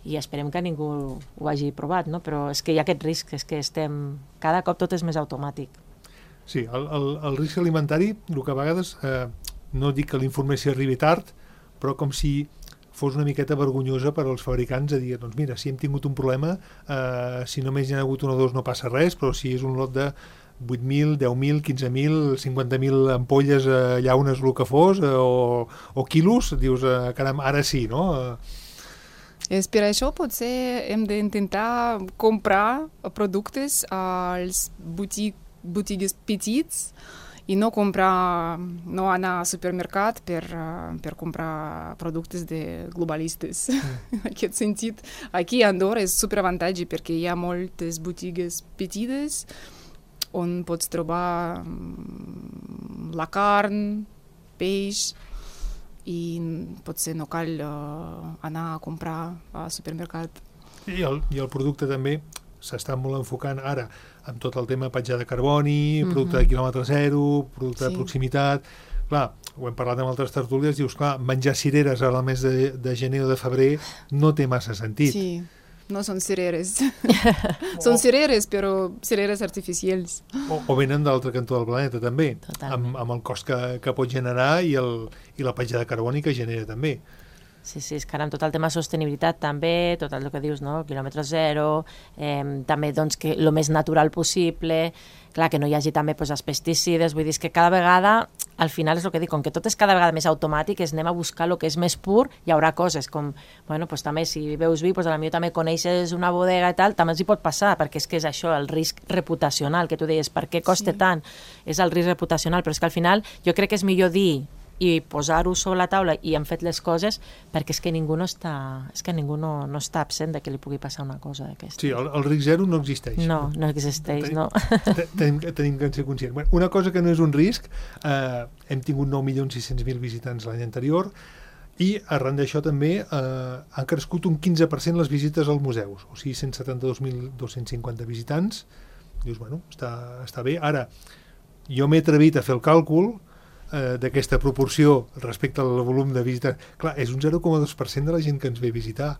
i esperem que ningú ho hagi provat, no? Però és que hi ha aquest risc, és que cada cop tot és més automàtic. Sí, el risc alimentari, el que a vegades, no dic que la informació arribi tard, però com si fos una miqueta vergonyosa per als fabricants de dir, doncs mira, si hem tingut un problema, si només hi ha hagut un o dos no passa res, però si és un lot de 8.000, 10.000, 15.000, 50.000 ampolles llaunes, el que fos, o quilos, dius, caram, ara sí, no? Per això potser hem d'intentar comprar productes als botigues petits i no anar al supermercat per comprar productes de globalistes. En aquest sentit, aquí a Andorra és superavantatge perquè hi ha moltes botigues petites on pots trobar la carn, peix, i potser no cal anar a comprar al supermercat. I el producte també s'està molt enfocant ara amb tot el tema petjada de carboni, producte de quilòmetre zero, producte de proximitat. Clar, ho hem parlat amb altres tertúlies, dius, clar, menjar cireres al mes de gener o de febrer no té massa sentit. Sí. No són cireres. Són cireres, però cireres artificials. O venen de l'altre cantó del planeta, també, amb el cost que pot generar i la petjada de carboni que genera, també. Sí, és que ara amb tot el tema de sostenibilitat també, tot el que dius, no? Quilòmetre zero, també doncs, que el més natural possible, clar, que no hi hagi també els pesticides, vull dir que cada vegada, al final és el que dic, com que tot és cada vegada més automàtic, anem a buscar el que és més pur, hi haurà coses com, bueno, doncs també si veus vi, doncs potser també coneixes una bodega i tal, també els hi pot passar, perquè és que és això, el risc reputacional, que tu deies, per què costa tant? És el risc reputacional, però és que al final jo crec que és millor dir i posar-ho sobre la taula i hem fet les coses perquè és que ningú no està absent de que li pugui passar una cosa d'aquesta. Sí, el risc zero no existeix. No existeix, no. Tenim que ser conscients. Bueno, una cosa que no és un risc, hem tingut 9.600.000 visitants l'any anterior, I arran d'això també han crescut un 15% les visites als museus, o sigui, 172.250 visitants. Dius, bueno, està bé. Ara, jo m'he atrevit a fer el càlcul d'aquesta proporció respecte al volum de visitants. Clar, és un 0,2% de la gent que ens ve a visitar.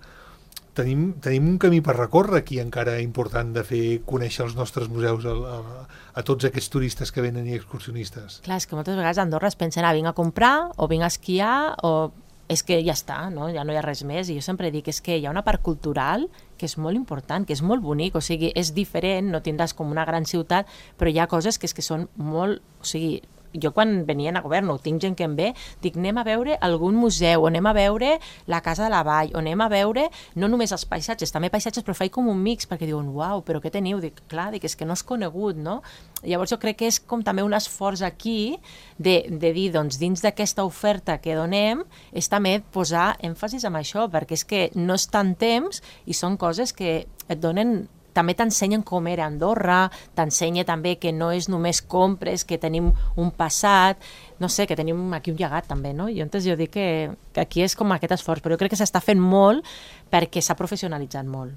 Tenim un camí per recórrer aquí encara important de fer conèixer els nostres museus a tots aquests turistes que venen i excursionistes. Clar, és que moltes vegades a Andorra es pensen vinc a comprar o vinc a esquiar o és que ja està, no? Ja no hi ha res més. I jo sempre dic és que hi ha una part cultural que és molt important, que és molt bonic, o sigui, és diferent, no tindràs com una gran ciutat, però hi ha coses que són molt... O sigui, jo quan venien a govern, o tinc gent que em ve, dic, anem a veure algun museu, o anem a veure la Casa de la Vall, o anem a veure no només els paisatges, també paisatges, però faig com un mix, perquè diuen, uau, però què teniu? Dic, clar, és que no és conegut, no? Llavors jo crec que és com també un esforç aquí de dir, doncs, dins d'aquesta oferta que donem, és també posar èmfasis en això, perquè és que no és tant temps i són coses que et donen... També t'ensenyen com era Andorra, t'ensenya també que no és només compres, que tenim un passat, no sé, que tenim aquí un llegat també, no? I llavors jo dic que aquí és com aquest esforç, però jo crec que s'està fent molt perquè s'ha professionalitzat molt.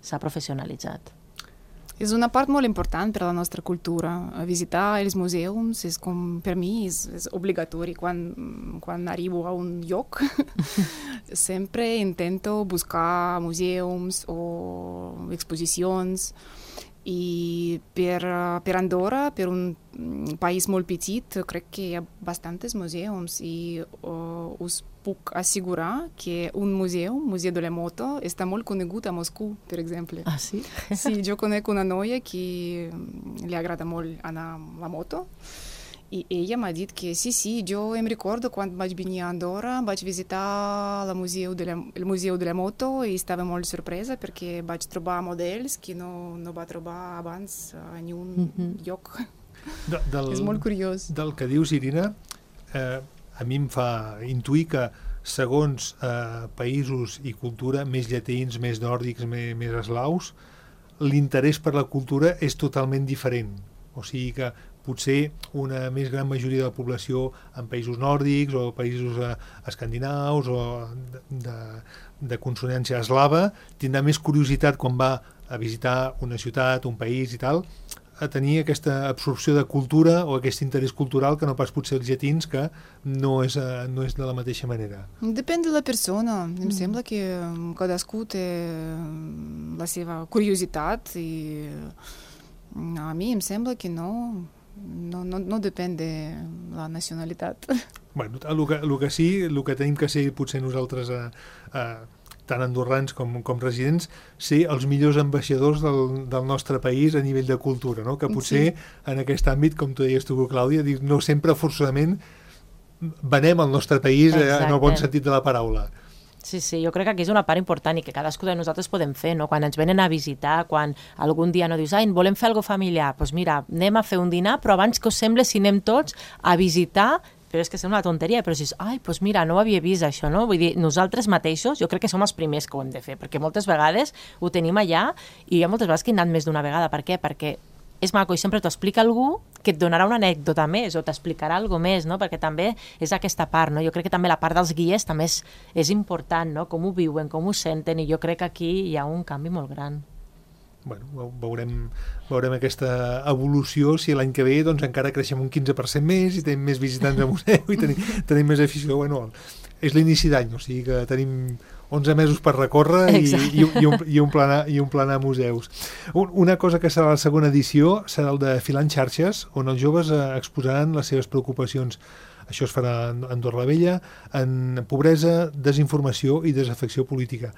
S'ha professionalitzat. És una part molt important per a la nostra cultura. Visitar els museus és com, per mi, és obligatori. Quan arribo a un lloc, sempre intento buscar museus o exposicions. I per Andorra, per un país molt petit, crec que hi ha bastants museus i us puc assegurar que un museu de la moto, està molt conegut a Moscou, per exemple. Ah, sí? Sí, jo conec una noia que li agrada molt anar amb la moto i ella m'ha dit que sí, jo em recordo quan vaig venir a Andorra, vaig visitar el museu de la moto i estava molt sorpresa perquè vaig trobar models que no va trobar abans en un lloc. És molt curiós. Del que dius, Irina, a mi em fa intuir que segons països i cultura més llatins, més nòrdics, més eslaus, l'interès per la cultura és totalment diferent. O sigui que potser una més gran majoria de la població en països nòrdics o països escandinaus o de consonància eslava tindrà més curiositat quan va a visitar una ciutat, un país i tal, a tenir aquesta absorció de cultura o aquest interès cultural que no pas potser els llatins, que no és de la mateixa manera. Depèn de la persona. Em sembla que cadascú té la seva curiositat i a mi em sembla que no depèn de la nacionalitat. Bueno, el que sí, el que tenim que ser potser nosaltres tant andorrans com residents, ser els millors ambaixadors del nostre país a nivell de cultura, no? Que potser en aquest àmbit, com tu deies tu, Clàudia, no sempre forçosament venem el nostre país en el bon sentit de la paraula. Sí, jo crec que aquí és una part important i que cadascú de nosaltres podem fer, no? Quan ens venen a visitar, quan algun dia no dius, volem fer alguna familiar, doncs mira, anem a fer un dinar, però abans que us sembla si anem tots a visitar, però és que sembla una tonteria, però dius, doncs mira, no ho havia vist això, no? Vull dir, nosaltres mateixos, jo crec que som els primers que ho hem de fer, perquè moltes vegades ho tenim allà i hi ha moltes vegades que he anat més d'una vegada. Per què? Perquè és maco i sempre t'ho explica algú que et donarà una anècdota més o t'explicarà alguna més, no? Perquè també és aquesta part, no? Jo crec que també la part dels guies també és important, no? Com ho viuen, com ho senten, i jo crec que aquí hi ha un canvi molt gran. Bueno, veurem aquesta evolució, si l'any que ve doncs encara creixem un 15% més i tenim més visitants al museu i tenim més afició. Bueno, és l'inici d'any, o sigui que tenim 11 mesos per recórrer i un planar museus. Una cosa que serà la segona edició serà el de Filant xarxes, on els joves exposaran les seves preocupacions. Això es farà a Andorra la Vella, en pobresa, desinformació i desafecció política.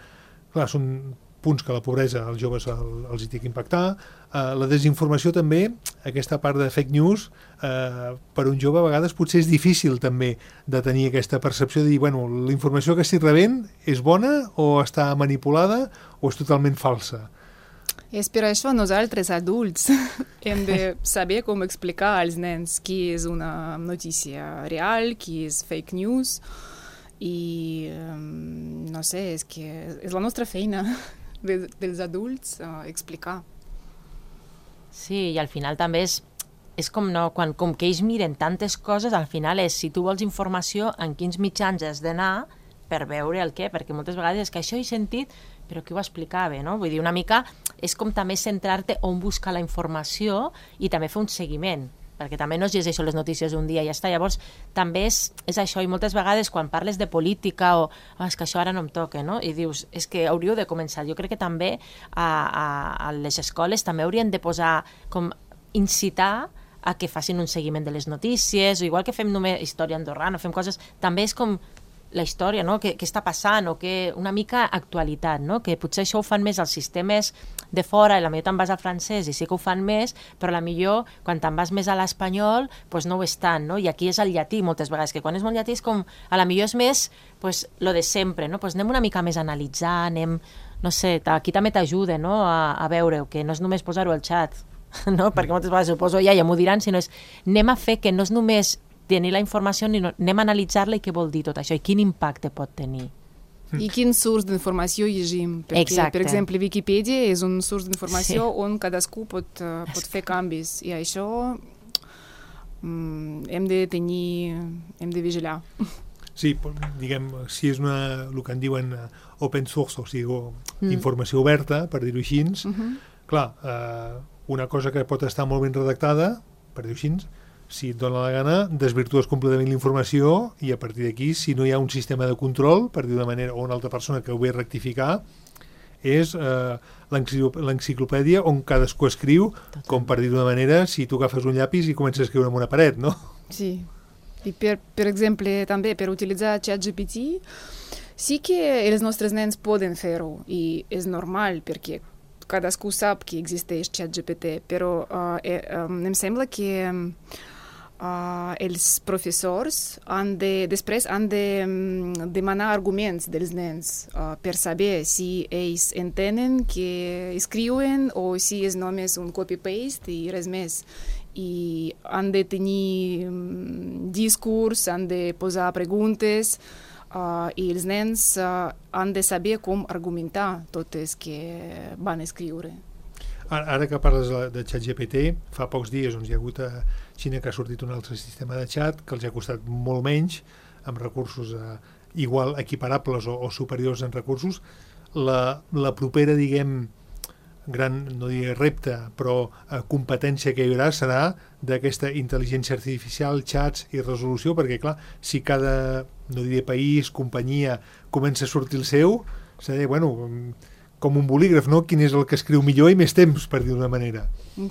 Clar, són punts que la pobresa als joves els hi té que impactar. La desinformació també, aquesta part de fake news, per un jove a vegades potser és difícil també de tenir aquesta percepció de dir, bueno, la informació que estic rebent és bona o està manipulada o és totalment falsa. És per això nosaltres, adults, hem de saber com explicar als nens què és una notícia real, què és fake news, i no sé, és que és la nostra feina dels adults explicar. Sí, i al final també és com, no, com que ells miren tantes coses, al final és, si tu vols informació, en quins mitjans has d'anar per veure el què, perquè moltes vegades és que això he sentit, però qui ho explicava, no? Vull dir, una mica és com també centrar-te on buscar la informació i també fer un seguiment, perquè també no es llegeixo les notícies un dia i ja està. Llavors, també és això, i moltes vegades quan parles de política o és que això ara no em toca, no? I dius, és que hauríeu de començar. Jo crec que també a les escoles també haurien de posar, com incitar a que facin un seguiment de les notícies, o igual que fem només història andorrana, fem coses, també és com la història, no? Què està passant, o que una mica actualitat, no? Que potser això ho fan més els sistemes de fora, i la millor te'n vas al francès i sí que ho fan més, però la millor quan te'n vas més a l'espanyol doncs no ho és tant, no? I aquí és el llatí moltes vegades, que quan és molt llatí és com, a la millor és més doncs, lo de sempre, no? Doncs anem una mica més a analitzar, anem, no sé, aquí també t'ajuda, no? A veure-ho, que no és només posar-ho al xat, no? Perquè moltes vegades ho poso ja m'ho diran, sinó és anem a fer que no és només tenir la informació, anem a analitzar-la i què vol dir tot això i quin impacte pot tenir. I quin surs d'informació llegim. Perquè, per exemple, Wikipedia és un surs d'informació on cadascú pot fer canvis. I això hem de vigilar. Sí, diguem, si és el que en diuen open source, o sigui, informació oberta, per dir-ho així, clar, una cosa que pot estar molt ben redactada, per dir-ho així, si et dona la gana, desvirtues completament la informació i a partir d'aquí, si no hi ha un sistema de control, per dir d'una manera, o una altra persona que ho ve a rectificar, és l'enciclopèdia on cadascú escriu, com per dir d'una manera, si tu agafes un llapis i comences a escriure en una paret, no? Sí. I per exemple, també per utilitzar ChatGPT, sí que els nostres nens poden fer-ho i és normal perquè cadascú sap que existeix ChatGPT, però em sembla que els professors després han de demanar arguments dels nens per saber si ells entenen que escriuen o si és només un copy-paste i res més. I han de tenir discurs, han de posar preguntes i els nens han de saber com argumentar totes que van escriure. Ara que parles de ChatGPT, fa pocs dies hi ha hagut a Xina que ha sortit un altre sistema de xat que els ha costat molt menys, amb recursos igual equiparables o superiors en recursos. La propera, diguem, gran, no diré repte, però competència que hi haurà serà d'aquesta intel·ligència artificial, xats i resolució, perquè clar, si cada, no diré país, companyia, comença a sortir el seu, s'ha de dir, bueno, com un bolígraf, no? Quin és el que escriu millor i més temps, per dir d'una manera.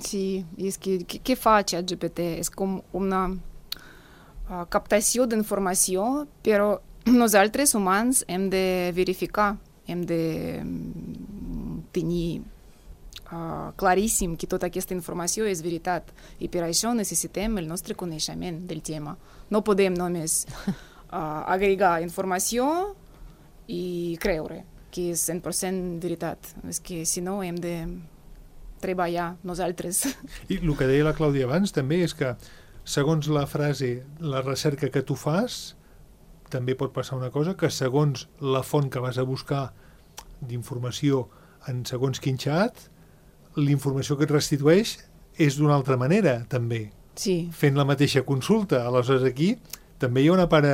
Sí, és que què fa ChatGPT? És com una captació d'informació, però nosaltres, humans, hem de verificar, hem de tenir claríssim que tota aquesta informació és veritat. I per això necessitem el nostre coneixement del tema. No podem només agregar informació i creure que és 100% veritat. És que si no hem de treballar nosaltres. I el que deia la Clàudia abans també és que segons la frase, la recerca que tu fas, també pot passar una cosa, que segons la font que vas a buscar d'informació en segons quin xat, l'informació que et restitueix és d'una altra manera, també. Sí. Fent la mateixa consulta. Aleshores aquí també hi ha una part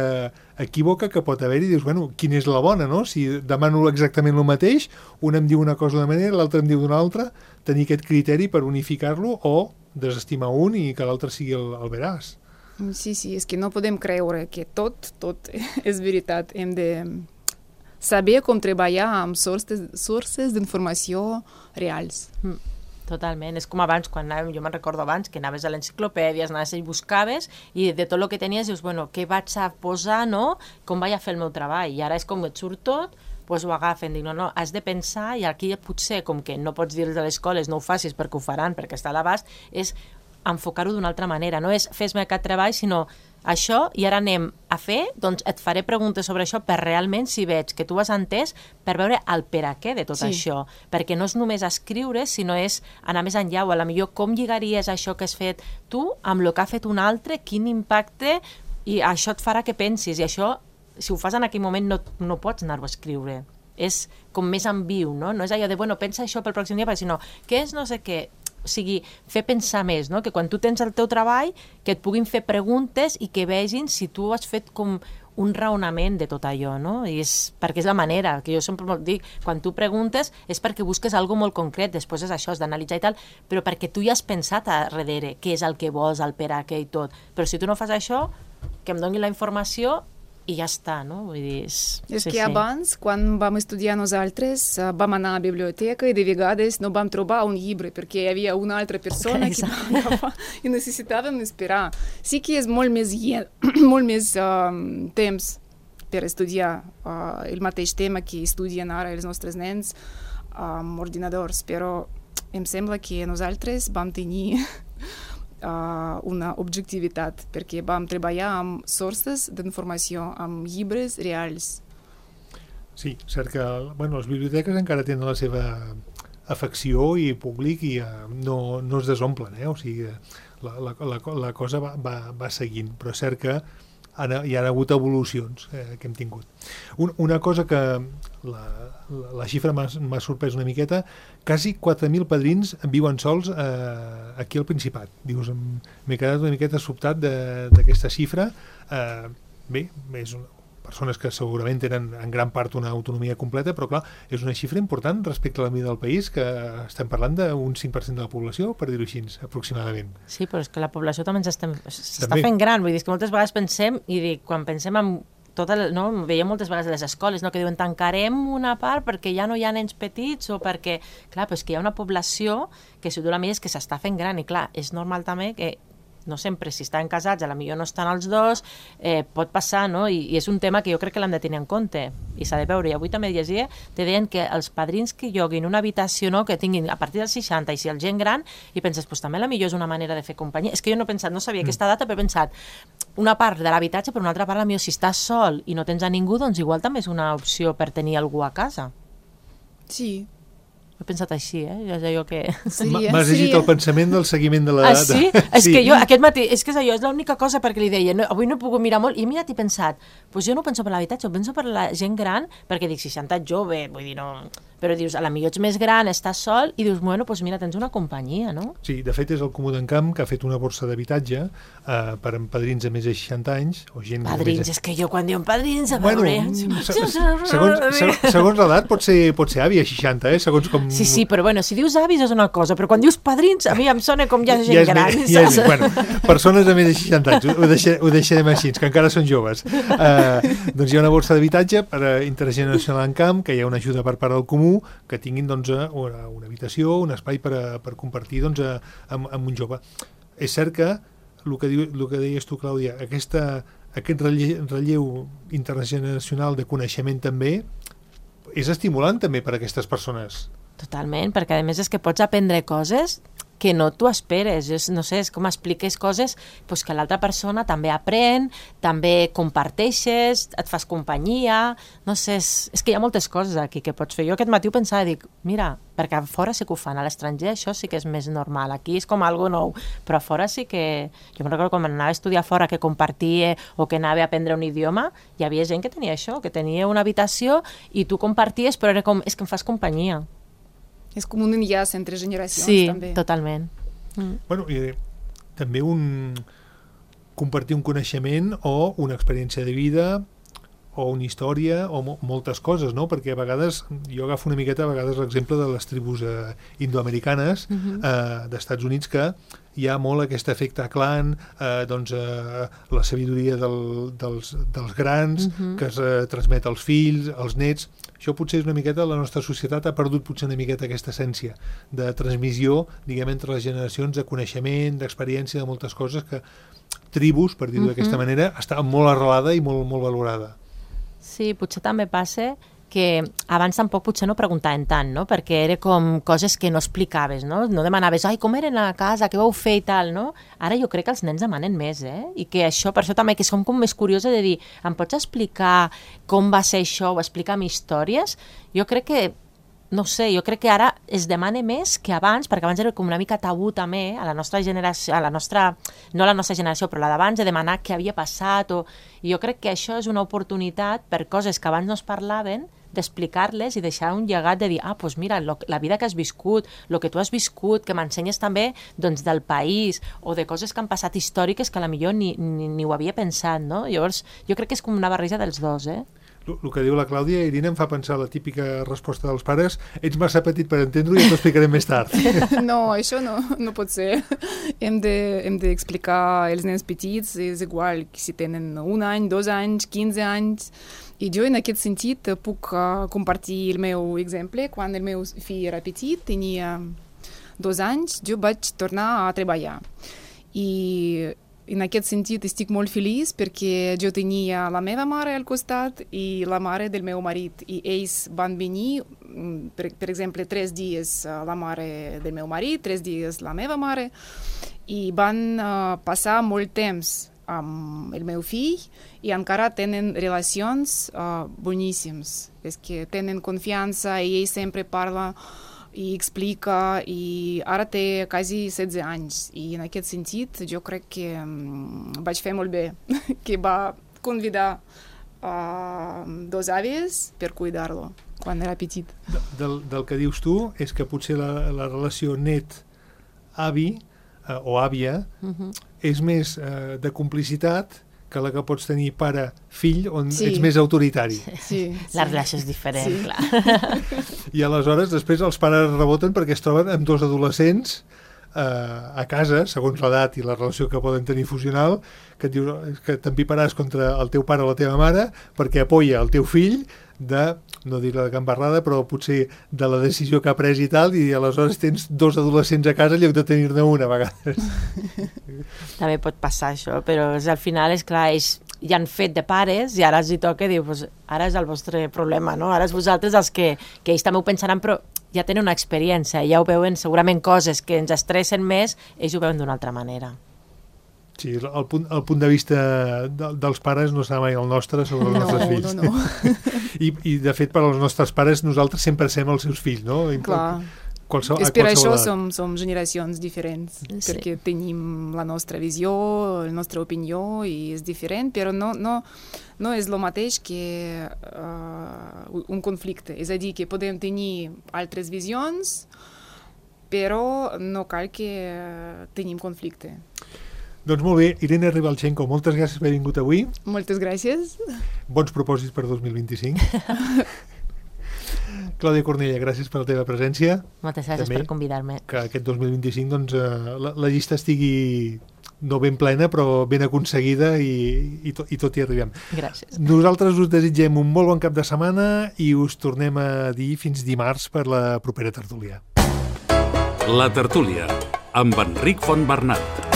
equívoca que pot haver-hi i dius, bueno, quina és la bona, no? Si demano exactament el mateix, un em diu una cosa d'una manera, l'altre em diu d'una altra, tenir aquest criteri per unificar-lo o desestimar un i que l'altre sigui el veraç. Sí, és que no podem creure que tot és veritat. Hem de saber com treballar amb sources d'informació reals. Totalment, és com abans, quan anàvem, jo me'n recordo abans, que anaves a l'enciclopèdia, anaves i buscaves, i de tot el que tenies dius, bueno, què vaig a posar, no? Com vaig a fer el meu treball? I ara és com et surt tot, doncs ho agafen, dic, no, has de pensar, i aquí potser, com que no pots dir-los a les escoles, no ho facis perquè ho faran, perquè està a l'abast, és enfocar-ho d'una altra manera, no és fes-me aquest treball, sinó això, i ara anem a fer, doncs et faré preguntes sobre això per realment, si veig que tu has entès, per veure el per a què de tot això, perquè no és només escriure, sinó és anar més enllà, o a la millor com lligaries això que has fet tu amb el que ha fet un altre, quin impacte, i això et farà que pensis, i això, si ho fas en aquell moment, no pots anar-ho a escriure. És com més en viu, no? No és allò de, bueno, pensa això pel pròxim dia, sinó, què és no sé què? O sigui, fer pensar més, no? Que quan tu tens el teu treball, que et puguin fer preguntes i que vegin si tu has fet com un raonament de tot allò, no? I perquè és la manera, que jo sempre dic, quan tu preguntes és perquè busques alguna molt concret, després és això, és d'analitzar i tal, però perquè tu ja has pensat a darrere què és el que vols, el per a què i tot. Però si tu no fas això, que em doni la informació i ja està, no? Vull dir, és que abans, quan vam estudiar nosaltres, vam anar a la biblioteca i de vegades no vam trobar un llibre perquè hi havia una altra persona que vam agafar i necessitàvem esperar. Sí que és molt més temps per estudiar el mateix tema que estudien ara els nostres nens amb ordinadors, però em sembla que nosaltres vam tenir una objectivitat, perquè vam treballar amb sources d'informació, amb llibres reals. Sí, cert que les biblioteques encara tenen la seva afecció i públic i no es desomplen, o sigui, la cosa va seguint, però és cert que hi ha hagut evolucions que hem tingut. Una cosa que la xifra m'ha sorprès una miqueta, quasi 4.000 padrins viuen sols aquí al Principat. Dius, m'he quedat una miqueta sobtat d'aquesta xifra. Bé, és persones que segurament tenen en gran part una autonomia completa, però clar, és una xifra important respecte a la mida del país, que estem parlant d'un 5% de la població, per dir-ho així, aproximadament. Sí, però és que la població també s'està fent gran, vull dir, que moltes vegades pensem, i dic, quan pensem en veiem moltes vegades a les escoles, que diuen tancarem una part perquè ja no hi ha nens petits o perquè, clar, però és que hi ha una població que si tu la mires que s'està fent gran i clar, és normal també que no sempre, si estan casats, potser no estan els dos, pot passar, no? I és un tema que jo crec que l'hem de tenir en compte i s'ha de veure. I avui també llegia, te deien que els padrins que lloguin una habitació, no, que tinguin a partir dels 60 i si el gent gran, i penses, pues també potser és una manera de fer companyia. És que jo no he pensat, no sabia aquesta data, però he pensat una part de l'habitatge, però una altra part, potser si estàs sol i no tens a ningú, doncs igual també és una opció per tenir algú a casa. Sí. He pensat així, és allò que... M'has llegit el pensament del seguiment de la... Ah, sí? És que jo, aquest matí, és que és allò, és l'única cosa perquè li deia, avui no he pogut mirar molt, i he mirat i he pensat, doncs jo no penso per l'habitatge, ho penso per la gent gran, perquè dic, 60 jove, vull dir, no... Però dius, potser ets més gran, estàs sol, i dius, bueno, doncs mira, tens una companyia, no? Sí, de fet és el Comú d'Encamp que ha fet una borsa d'habitatge per a padrins de més de 60 anys, o gent... Padrins, és que jo quan diuen padrins, a veure... Segons l'edat pot ser avi a 60, segons com... Sí, però bueno, si dius avis és una cosa, però quan dius padrins, a mi em sona com ja gent gran. Bueno, persones de més de 60 anys, ho deixarem així, que encara són joves. Doncs hi ha una borsa d'habitatge per a Intergeneracional Encamp, que hi ha una ajuda per part del Comú, que tinguin una habitació, un espai per compartir amb un jove. És cert que el que deies tu, Clàudia, aquest relleu intergeneracional de coneixement també és estimulant també per a aquestes persones. Totalment, perquè a més és que pots aprendre coses que no t'ho esperes, no sé, és com expliques coses doncs que l'altra persona també aprèn, també comparteixes, et fas companyia, no sé, és que hi ha moltes coses aquí que pots fer. Jo aquest matí ho pensava, dic, mira, perquè a fora sí que ho fan, a l'estranger això sí que és més normal, aquí és com algo nou, però a fora sí que... Jo me'n recordo quan anava a estudiar fora que compartia o que anava a aprendre un idioma, hi havia gent que tenia això, que tenia una habitació i tu comparties, però era com, és que em fas companyia. És com un enllaç entre generacions, també. Sí, totalment. Bueno, i també compartir un coneixement o una experiència de vida o una història o moltes coses, no? Perquè a vegades, jo agafo una miqueta l'exemple de les tribus indoamericanes d'Estats Units, que hi ha molt aquest efecte clan, la sabidoria dels grans, que es transmet als fills, als nets. Això potser és una miqueta, la nostra societat ha perdut potser una miqueta aquesta essència de transmissió, diguem, entre les generacions, de coneixement, d'experiència, de moltes coses que tribus, per dir-ho d'aquesta manera, està molt arrelada i molt, molt valorada. Sí, potser també passa que abans tampoc potser no preguntaven tant, no? Perquè era com coses que no explicaves, no? No demanaves, ai, com eren a casa, què vau fer i tal, no? Ara jo crec que els nens demanen més, I que això, per això també que som com més curiosa de dir, em pots explicar com va ser això o explicar-me històries? Jo crec que, no sé, jo crec que ara es demana més que abans, perquè abans era com una mica tabú també a la nostra generació, no a la nostra generació, però la d'abans, de demanar què havia passat, i jo crec que això és una oportunitat per coses que abans no es parlaven, d'explicar-les i deixar un llegat de dir, doncs mira, la vida que has viscut, el que tu has viscut, que m'ensenyes també doncs, del país o de coses que han passat històriques que potser ni ho havia pensat, no? Llavors, jo crec que és com una barreja dels dos, El que diu la Clàudia, Irina, em fa pensar la típica resposta dels pares: ets massa petit per entendre-ho i t'ho explicaré més tard. No, això no pot ser. Hem d'explicar als nens petits, és igual si tenen 1 any, 2 anys, 15 anys. I jo, en aquest sentit, puc compartir el meu exemple. Quan el meu fill era petit, tenia 2 anys, jo vaig tornar a treballar. I en aquest sentit estic molt feliç perquè jo tenia la meva mare al costat i la mare del meu marit. I ells van venir, per exemple, 3 dies la mare del meu marit, 3 dies la meva mare, i van passar molt temps amb el meu fill i encara tenen relacions boníssimes. És que tenen confiança i ell sempre parla i explica, i ara té quasi 16 anys, i en aquest sentit jo crec que vaig fer molt bé, que va convidar 2 àvies per cuidar-lo quan era petit. Del que dius tu és que potser la relació net-avi o àvia és més de complicitat que la que pots tenir pare-fill, on ets més autoritari. Sí. La relació és diferent, clar. I aleshores després els pares reboten perquè es troben amb 2 adolescents a casa, segons l'edat i la relació que poden tenir fusional, que et dius que t'empiparàs contra el teu pare o la teva mare perquè apoya el teu fill de, no dir la gambarrada, però potser de la decisió que ha pres i tal, i aleshores tens 2 adolescents a casa en lloc de tenir-ne una a vegades. També pot passar això, però al final, és clar, ells ja han fet de pares i ara els hi toca dir, pues, ara és el vostre problema, no? Ara és vosaltres els que ells també ho pensaran, però ja tenen una experiència, ja ho veuen segurament coses que ens estressen més, ells ho veuen d'una altra manera. Sí, el punt de vista dels pares no serà mai el nostre sobre els nostres fills. No. I de fet, per als nostres pares, nosaltres sempre sem els seus fills, no? Clar. És per això som generacions diferents, perquè tenim la nostra visió, la nostra opinió, i és diferent, però no és el mateix que un conflicte. És a dir, que podem tenir altres visions, però no cal que tenim conflicte. Doncs molt bé, Irene Ribalchenko, moltes gràcies per haver vingut avui. Moltes gràcies. Bons propòsits per 2025. Clàudia Cornella, gràcies per la teva presència. Moltes gràcies per convidar-me. Que aquest 2025 doncs, la llista estigui no ben plena, però ben aconseguida i tot hi arribem. Gràcies. Nosaltres us desitgem un molt bon cap de setmana i us tornem a dir fins dimarts per la propera tertúlia. La tertúlia, amb Enric Fontbernat.